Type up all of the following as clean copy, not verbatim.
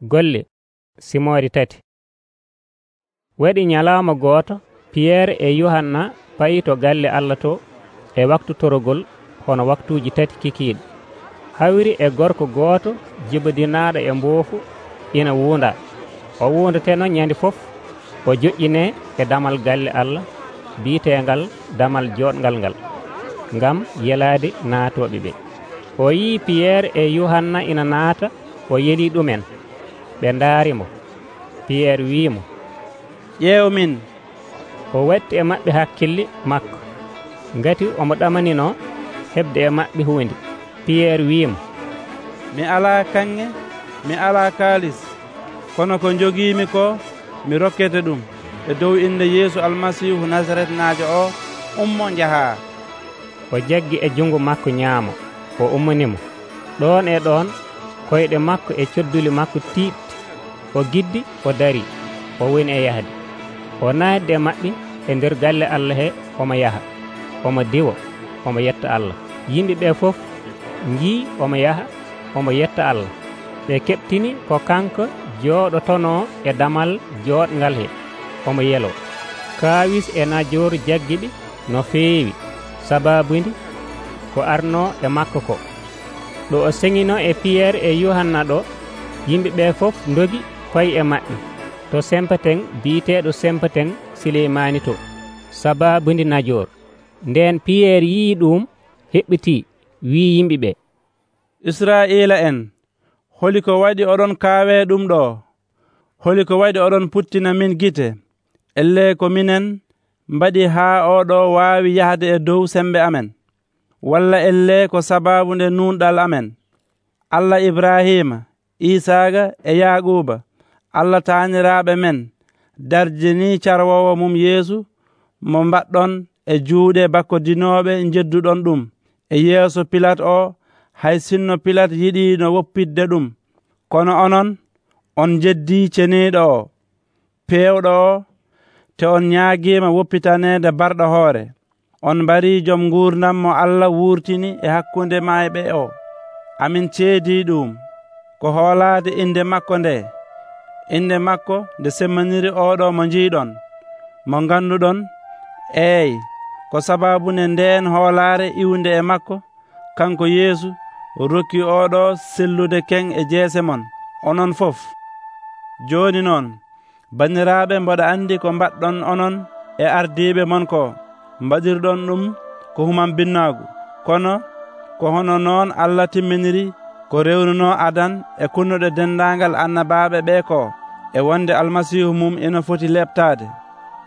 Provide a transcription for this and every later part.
Golle simoori 3. Waɗi nyalawma gooto Piyeere e Yohanna payi to galle Allah to e waktu torogol hono waktuuji 3 kikiiɗe. Hawri e gorko gooto jibodinaaɗo e mboofu ina wuunda. O wuundateno nyandi fof o joƴƴinee e damal galle Allah biiteengal damal jooɗngal ngal ngam yelaade naatooɓe ɓe. O yii Piyeere e Yohanna ina naata, o yelii ɗumen. Ɓe ndaarimo. Piyeere wi'imo, ƴeew min. O watti e maɓɓe hakkille makko, ngati omo ɗamaninoo heɓde e maɓɓe huunde. Piyeere wi'imo, mi alaa kanŋe, mi alaa kaalis, kono ko jogiimi ko mi rokkete ɗum e dow inde Yeesu Almasiihu Nasaretnaajo o, ummo njahaa. O jaggi e jungo makko nyaamo, o ummonimo. Ɗoon e ɗoon koyɗe makko e codduli makko tiiɗi. O giddi, o darii, o woni e yahde. O naatdi e maɓɓe e nder galle Allah he, omo yaha, omo diwa, omo yetta Allah. Yimɓe ɓee fof njii omo yaha, omo yetta Allah. Ɓe keɓtini ko kanko jooɗotonoo e damal jooɗngal he, omo yeloo. Kaawis e najooru jaggiɓe no feewi, sabaabude ko arnoo e makko ko. Ɗo o seŋinoo e Piyeere e Yohanna ɗo, yimɓe ɓee fof ndogi payi e maɓɓe to sempeten biiteeɗo sempeten Sileymaani to, sabaabude najoor. Ndeen Piyeere yii ɗum, heɓɓitii, wii yimɓe ɓee, Israa'iila en, holi ko waɗi oɗon kaawee ɗum ɗo? Holi ko waɗi oɗon puttina min gite? Elle ko minen mbaɗi haa oɗo waawi yahde e dow sembe amen? Walla elle ko sabaabu nde nuunɗal amen? Allah Ibrahima, Isaaga e Yaaquuba, Allah taaniraaɓe men, darjinii carwoowo mum Yeesu mo mbaɗɗon e juuɗe bakkodinooɓe njedduɗon ɗum e yeeso Pilat o, hay sinno Pilat yiɗiino woppidde ɗum. Kono onon, on njeddii ceniiɗo o, peewɗo o, te on ñaagiima woppitaneede barɗo hoore. On mbarii jom nguurdam mo Allah wuurtini e hakkunde maayɓe o. Amin ceedii ɗum ko hoolaade inde makko nde, inde makko nde semmaniri oɗo mo njiiɗon, mo ngannduɗon. Eey, ko sabaabunde ndeen hoolaare iwde e makko, kanko Yeesu rokki oɗo sellude ken e jeese mon, onon fof. Jooni noon, banniraaɓe, mboɗa anndi ko mbaɗɗon onon e ardiiɓe mon ko. Mbaɗirɗon ɗum ko human binnaagu, kono ko hono noon Allah timminiri ko rewnunoo Adan e kunnuɗe denndaangal annabaaɓe ɓee ko, e wonde Almasiihu mum ina foti leɓtaade.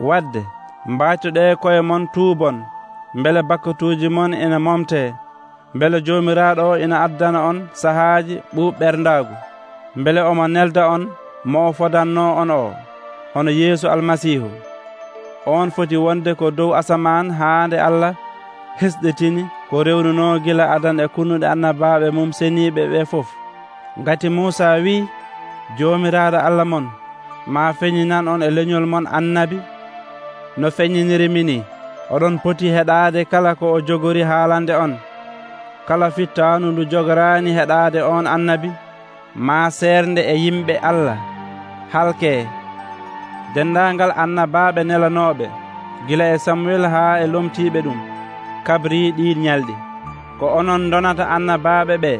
Wadde mbaatuɗee koye mon tuubon, mbele bakkatuuji mon ina momtee, mbele Joomiraaɗo o ina addana on sahaaji ɓuuɓɓerdaagu, mbele omo nelda on mo o fodannoo on o, hono Yeesu Almasiihu. On foti wonde ko dow asamaan haa nde Allah hesɗitini ko rewnunoo gila Adan e kunnuɗe annabaaɓe mum seniiɓe ɓe fof. Ngati Muusa wii, Joomiraaɗo Allah mon maa feññinan on e leñol mon annabi no feññiniri ni. Oɗon poti heɗaade kala ko o jogori haalande on. Kala fittaanu ndu jogoraani heɗaade on annabi maa seernde e yimɓe Allah halkee. Denndaangal annabaaɓe nelanooɓe gila e Samuel haa e lomtiiɓe ɗum kabrii ɗii ñalɗi. Ko onon donata annabaaɓe ɓe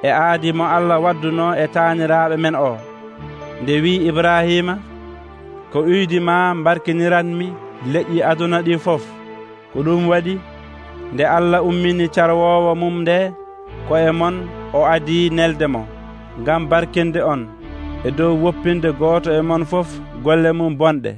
e aadi mo Allah waddunoo e taaniraaɓe men o. Nde wii Ibrahima, ko uydi ma mbarkiniranmi leƴƴi aduna ɗi fof. Ko ɗum waɗi nde Allah ummini carwoowo mum nde koye mon, o adii nelde mo ngam barkinde on e dow woppinde gooto e mon fof golle mum bonɗe.